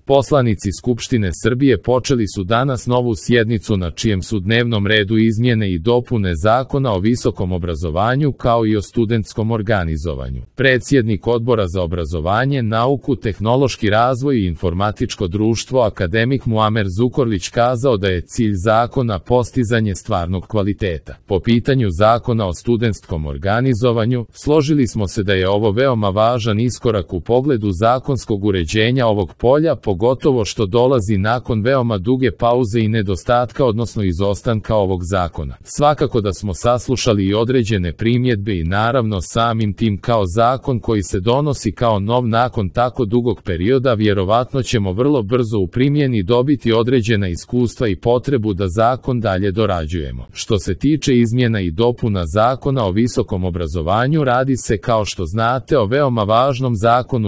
Poslanici Skupštine Srbije počeli su danas novu sjednicu na čijem su dnevnom redu izmjene i dopune Zakona o visokom obrazovanju kao i o studentskom organizovanju. Predsjednik Odbora za obrazovanje, nauku, tehnološki razvoj i informatičko društvo akademik Muamer Zukorlić kazao da je cilj zakona postizanje stvarnog kvaliteta. Po pitanju Zakona o studentskom organizovanju, složili smo se da je ovo veoma važan iskorak u pogledu zakonskog uređenja ovog polja, pogotovo što dolazi nakon veoma duge pauze i nedostatka odnosno izostanka ovog zakona. Svakako da smo saslušali i određene primjedbe i naravno samim tim kao zakon koji se donosi kao nov nakon tako dugog perioda vjerovatno ćemo vrlo brzo u primjeni dobiti određena iskustva i potrebu da zakon dalje dorađujemo. Što se tiče izmjena i dopuna Zakona o visokom obrazovanju, radi se kao što znate o veoma važnom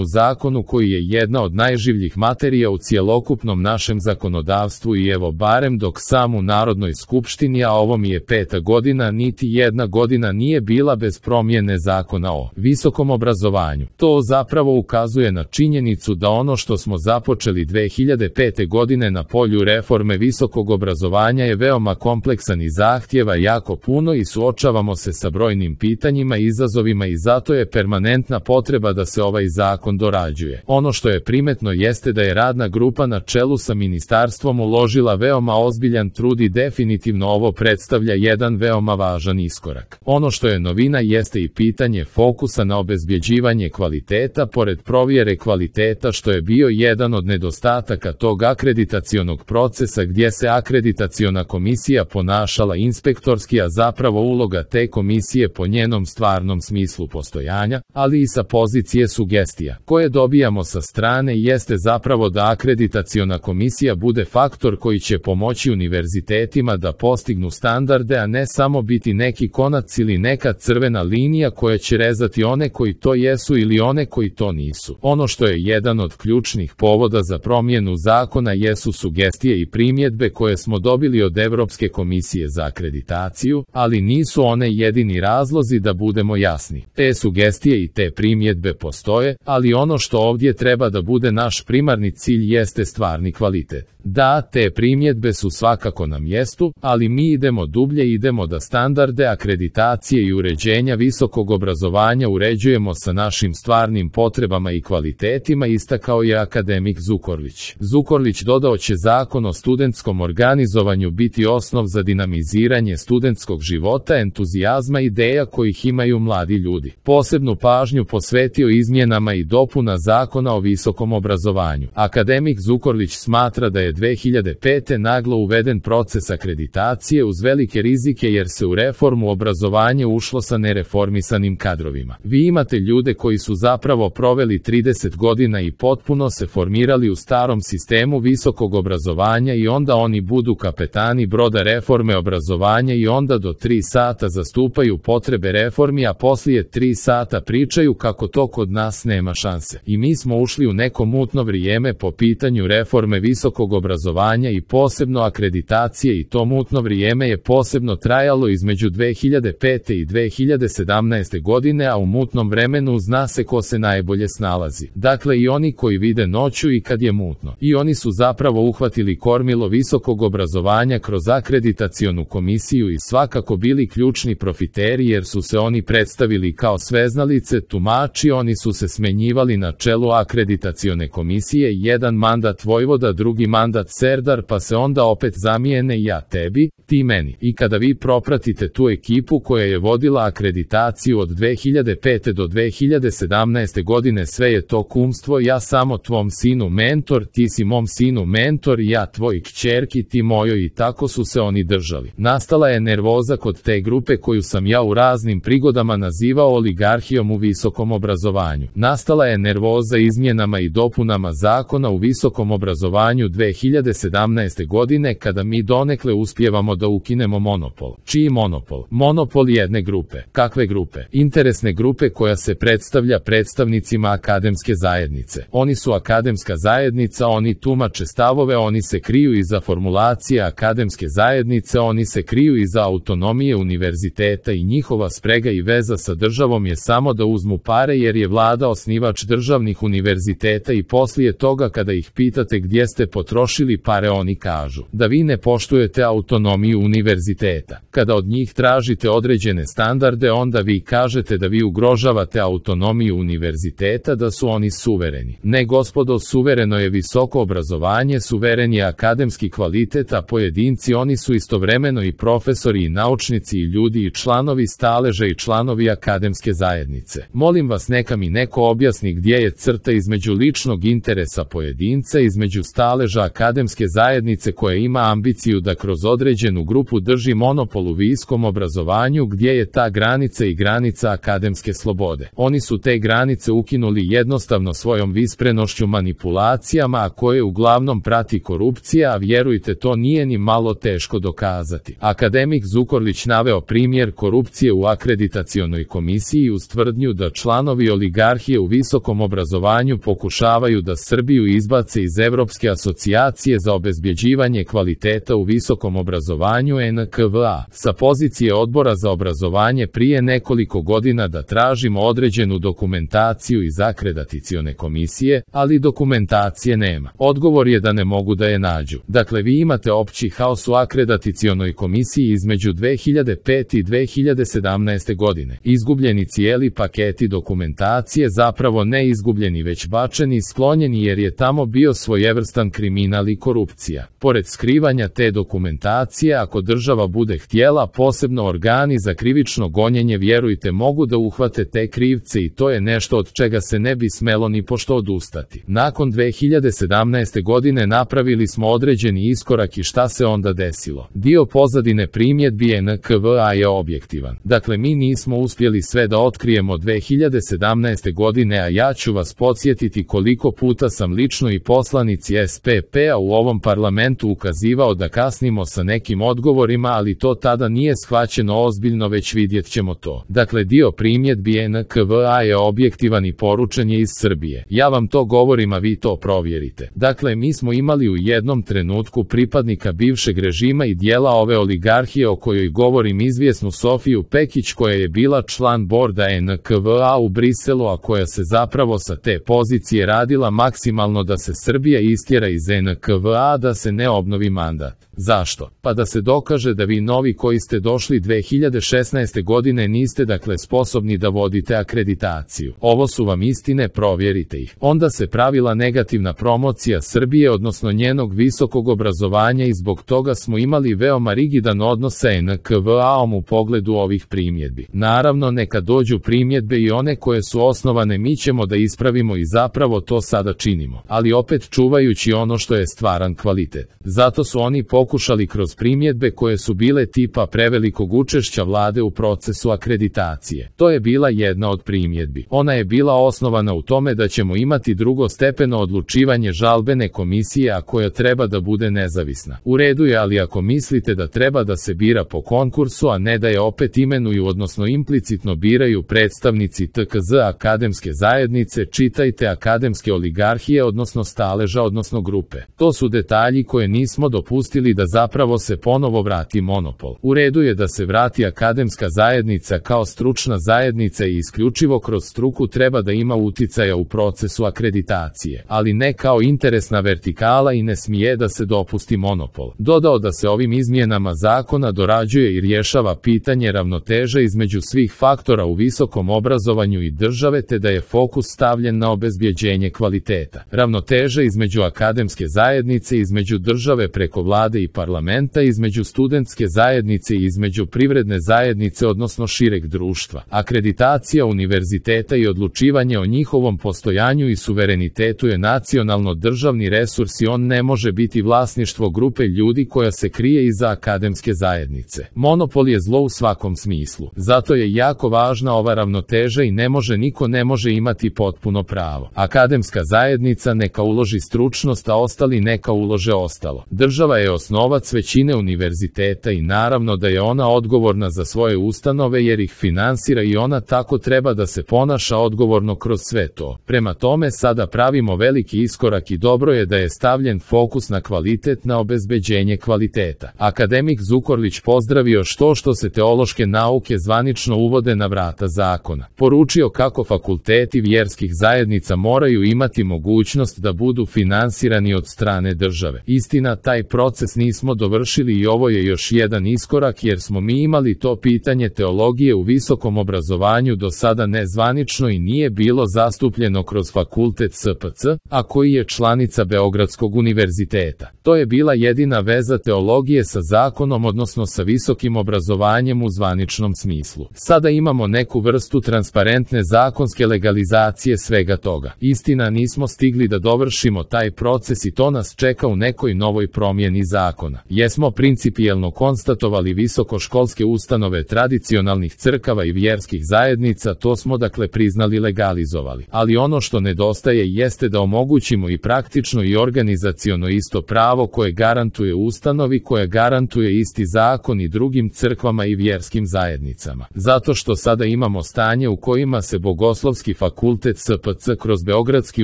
zakonu koji je jedna od najživljih materija u cjelokupnom našem zakonodavstvu i evo barem dok sam u Narodnoj skupštini, a ovo mi je 5. godina, niti jedna godina nije bila bez promjene Zakona o visokom obrazovanju. To zapravo ukazuje na činjenicu da ono što smo započeli 2005. godine na polju reforme visokog obrazovanja je veoma kompleksan i zahtjeva jako puno i suočavamo se sa brojnim pitanjima i izazovima i zato je permanentna potreba da se ovaj zakon dorađuje. Ono što je primetno jeste da je radna grupa na čelu sa ministarstvom uložila veoma ozbiljan trud i definitivno ovo predstavlja jedan veoma važan iskorak. Ono što je novina jeste i pitanje fokusa na obezbjeđivanje kvaliteta pored provjere kvaliteta što je bio jedan od nedostataka tog akreditacionog procesa gdje se akreditaciona komisija ponašala inspektorski, a zapravo uloga te komisije po njenom stvarnom smislu postojanja, ali i sa pozicije sugestija koje dobijamo sa strane jeste zapravo da akreditaciona komisija bude faktor koji će pomoći univerzitetima da postignu standarde, a ne samo biti neki konac ili neka crvena linija koja će rezati one koji to jesu ili one koji to nisu. Ono što je jedan od ključnih povoda za promjenu zakona jesu sugestije i primjedbe koje smo dobili od Europske komisije za akreditaciju, ali nisu one jedini razlozi da budemo jasni. Te sugestije i te primjedbe postoje, ali ono što ovdje treba da bude naš primarni cilj jeste stvarni kvalitet. Da, te primjedbe su svakako na mjestu, ali mi idemo dublje, idemo da standarde akreditacije i uređenja visokog obrazovanja uređujemo sa našim stvarnim potrebama i kvalitetima, istakao je akademik Zukorlić. Zukorlić dodao će Zakon o studentskom organizovanju biti osnov za dinamiziranje studentskog života, entuzijazma i ideja kojih imaju mladi ljudi. Posebnu pažnju posvetio izmjenama i dopuna Zakona o visokom obrazovanju. Akademik Zukorlić smatra da je 2005. naglo uveden proces akreditacije uz velike rizike jer se u reformu obrazovanja ušlo sa nereformisanim kadrovima. Vi imate ljude koji su zapravo proveli 30 godina i potpuno se formirali u starom sistemu visokog obrazovanja i onda oni budu kapetani broda reforme obrazovanja i onda do 3 sata zastupaju potrebe reformi, a poslije 3 sata pričaju kako to kod nas nema šanse. I mi smo ušli u neko mutno vrijeme po pitanju reforme visokog obrazovanja i posebno akreditacije i to mutno vrijeme je posebno trajalo između 2005. i 2017. godine, a u mutnom vremenu zna se ko se najbolje snalazi. Dakle i oni koji vide noću i kad je mutno. I oni su zapravo uhvatili kormilo visokog obrazovanja kroz akreditacionu komisiju i svakako bili ključni profiteri jer su se oni predstavili kao sveznalice, tumači, oni su se smenjivali na čelu akreditacione komisije, jedan mandat vojvoda, drugi mandat serdar, pa se onda opet zamijene ja tebi, ti meni. I kada vi propratite tu ekipu koja je vodila akreditaciju od 2005. do 2017. godine, sve je to kumstvo, ja samo tvom sinu mentor, ti si mom sinu mentor, ja tvoj kćerki, ti mojoj, i tako su se oni držali. Nastala je nervoza kod te grupe koju sam ja u raznim prigodama nazivao oligarhijom u visokom obrazovanju. Nastala je nervoza izmjenama i dopunama Zakona u visokom obrazovanju 2005. 2017. godine kada mi donekle uspijevamo da ukinemo monopol. Čiji monopol? Monopol jedne grupe. Kakve grupe? Interesne grupe koja se predstavlja predstavnicima akademske zajednice. Oni su akademska zajednica, oni tumače stavove, oni se kriju iza formulacije akademske zajednice, oni se kriju iza autonomije univerziteta i njihova sprega i veza sa državom je samo da uzmu pare jer je vlada osnivač državnih univerziteta i poslije toga kada ih pitate gdje ste potrošili pare oni kažu da vi ne poštujete autonomiju univerziteta. Kada od njih tražite određene standarde onda vi kažete da vi ugrožavate autonomiju univerziteta, da su oni suvereni. Ne gospodo, suvereno je visoko obrazovanje, suveren je akademski kvalitet, a pojedinci oni su istovremeno i profesori i naučnici i ljudi i članovi staleža i članovi akademske zajednice. Molim vas neka mi neko objasni gdje je crta između ličnog interesa pojedinca, između staleža akademske zajednice koja ima ambiciju da kroz određenu grupu drži monopol u visokom obrazovanju, gdje je ta granica i granica akademske slobode. Oni su te granice ukinuli jednostavno svojom visprenošću manipulacijama, a koje uglavnom prati korupcija, a vjerujte to nije ni malo teško dokazati. Akademik Zukorlić naveo primjer korupcije u akreditacionoj komisiji uz tvrdnju da članovi oligarhije u visokom obrazovanju pokušavaju da Srbiju izbace iz Evropske asocijacije za obezbjeđivanje kvaliteta u visokom obrazovanju NKVA. Sa pozicije odbora za obrazovanje prije nekoliko godina da tražimo određenu dokumentaciju iz akreditacione komisije, ali dokumentacije nema. Odgovor je da ne mogu da je nađu. Dakle, vi imate opći haos u akreditacionoj komisiji između 2005. i 2017. godine. Izgubljeni cijeli paketi dokumentacije, zapravo ne izgubljeni već bačeni i sklonjeni jer je tamo bio svojevrstan kriminal i korupcija. Pored skrivanja te dokumentacije, ako država bude htjela, posebno organi za krivično gonjenje, vjerujte, mogu da uhvate te krivce i to je nešto od čega se ne bi smelo ni pošto odustati. Nakon 2017. godine napravili smo određeni iskorak i šta se onda desilo? Dio pozadine primjedbi NKVA je objektivan. Dakle, mi nismo uspjeli sve da otkrijemo 2017. godine, a ja ću vas podsjetiti koliko puta sam lično i poslanici SPP-a u ovom parlamentu ukazivao da kasnimo sa nekim odgovorima, ali to tada nije shvaćeno ozbiljno, već vidjet ćemo to. Dakle, dio primjedbi NKVA je objektivan i poručen je iz Srbije. Ja vam to govorim, a vi to provjerite. Dakle, mi smo imali u jednom trenutku pripadnika bivšeg režima i dijela ove oligarhije o kojoj govorim, izvjesnu Sofiju Pekić, koja je bila član borda NKVA u Briselu, a koja se zapravo sa te pozicije radila maksimalno da se Srbija istjera iz NKVA, da se ne obnovi mandat. Zašto? Pa da se dokaže da vi novi koji ste došli 2016. godine niste dakle sposobni da vodite akreditaciju. Ovo su vam istine, provjerite ih. Onda se pravila negativna promocija Srbije, odnosno njenog visokog obrazovanja, i zbog toga smo imali veoma rigidan odnos sa NKVA-om u pogledu ovih primjedbi. Naravno, neka dođu primjedbe i one koje su osnovane, mi ćemo da ispravimo i zapravo to sada činimo. Ali opet čuvajući ono što je stvaran kvalitet. Zato su oni pokušali kroz primjedbe koje su bile tipa prevelikog učešća vlade u procesu akreditacije. To je bila jedna od primjedbi. Ona je bila osnovana u tome da ćemo imati drugostepeno odlučivanje žalbene komisije, a koja treba da bude nezavisna. U redu je, ali ako mislite da treba da se bira po konkursu, a ne da je opet imenuju, odnosno implicitno biraju predstavnici TKZ akademske zajednice, čitajte akademske oligarhije, odnosno staleža, odnosno grupe. To su detalji koje nismo dopustili da zapravo se ponovo vrati monopol. U redu je da se vrati akademska zajednica kao stručna zajednica i isključivo kroz struku treba da ima uticaja u procesu akreditacije, ali ne kao interesna vertikala i ne smije da se dopusti monopol. Dodao da se ovim izmjenama zakona dorađuje i rješava pitanje ravnoteže između svih faktora u visokom obrazovanju i države, te da je fokus stavljen na obezbjeđenje kvaliteta. Ravnoteža između akademske zajednice, između države preko vlade i parlamenta, između studentske zajednice i između privredne zajednice odnosno šireg društva. Akreditacija univerziteta i odlučivanje o njihovom postojanju i suverenitetu je nacionalno državni resurs i on ne može biti vlasništvo grupe ljudi koja se krije iza akademske zajednice. Monopol je zlo u svakom smislu. Zato je jako važna ova ravnoteža i niko ne može imati potpuno pravo. Akademska zajednica neka uloži stručnost, a ostali neka ulože ostalo. Država je osnovac većine univerziteta i naravno da je ona odgovorna za svoje ustanove jer ih finansira i ona tako treba da se ponaša odgovorno kroz sve to. Prema tome sada pravimo veliki iskorak i dobro je da je stavljen fokus na kvalitet, na obezbeđenje kvaliteta. Akademik Zukorlić pozdravio što se teološke nauke zvanično uvode na vrata zakona. Poručio kako fakulteti vjerskih zajednica moraju imati mogućnost da budu finansirani od strane države. Istina, taj proces nismo dovršili i ovo je još jedan iskorak jer smo mi imali to pitanje teologije u visokom obrazovanju do sada nezvanično i nije bilo zastupljeno kroz fakultet SPC, a koji je članica Beogradskog univerziteta. To je bila jedina veza teologije sa zakonom odnosno sa visokim obrazovanjem u zvaničnom smislu. Sada imamo neku vrstu transparentne zakonske legalizacije svega toga. Istina, nismo stigli da dovršimo taj proces i to nas čeka u nekoj novoj promjeni zakona. Jesmo principijelno konstatovali visokoškolske ustanove tradicionalnih crkava i vjerskih zajednica, to smo dakle priznali, legalizovali. Ali ono što nedostaje jeste da omogućimo i praktično i organizaciono isto pravo koje garantuje ustanovi, koje garantuje isti zakon i drugim crkvama i vjerskim zajednicama. Zato što sada imamo stanje u kojima se Bogoslovski fakultet SPC kroz Beogradski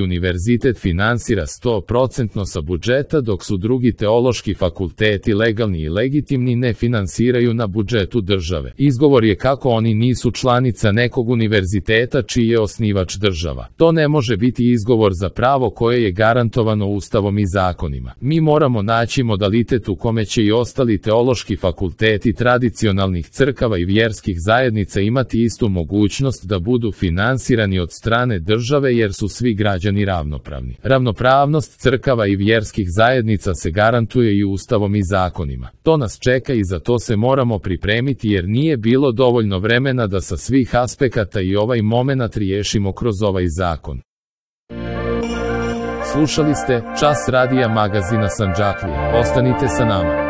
univerzitet finansira 100% sa budžeta, dok su drugi teološki fakulteti legalni i legitimni ne finansiraju na budžetu države. Izgovor je kako oni nisu članica nekog univerziteta čiji je osnivač država. To ne može biti izgovor za pravo koje je garantovano Ustavom i zakonima. Mi moramo naći modalitet u kome će i ostali teološki fakulteti tradicionalnih crkava i vjerskih zajednica imati istu mogućnost da budu finansirani od strane države jer su svi građani ravnopravni. Ravnopravnost crkava i vjerskih zajednica se garantuje i Ustavom i zakonima. To nas čeka i za to se moramo pripremiti jer nije bilo dovoljno vremena da sa svih aspekata i ovaj momenat riješimo kroz ovaj zakon. Slušali ste Čas radija magazina Sandžaklija. Ostanite sa nama.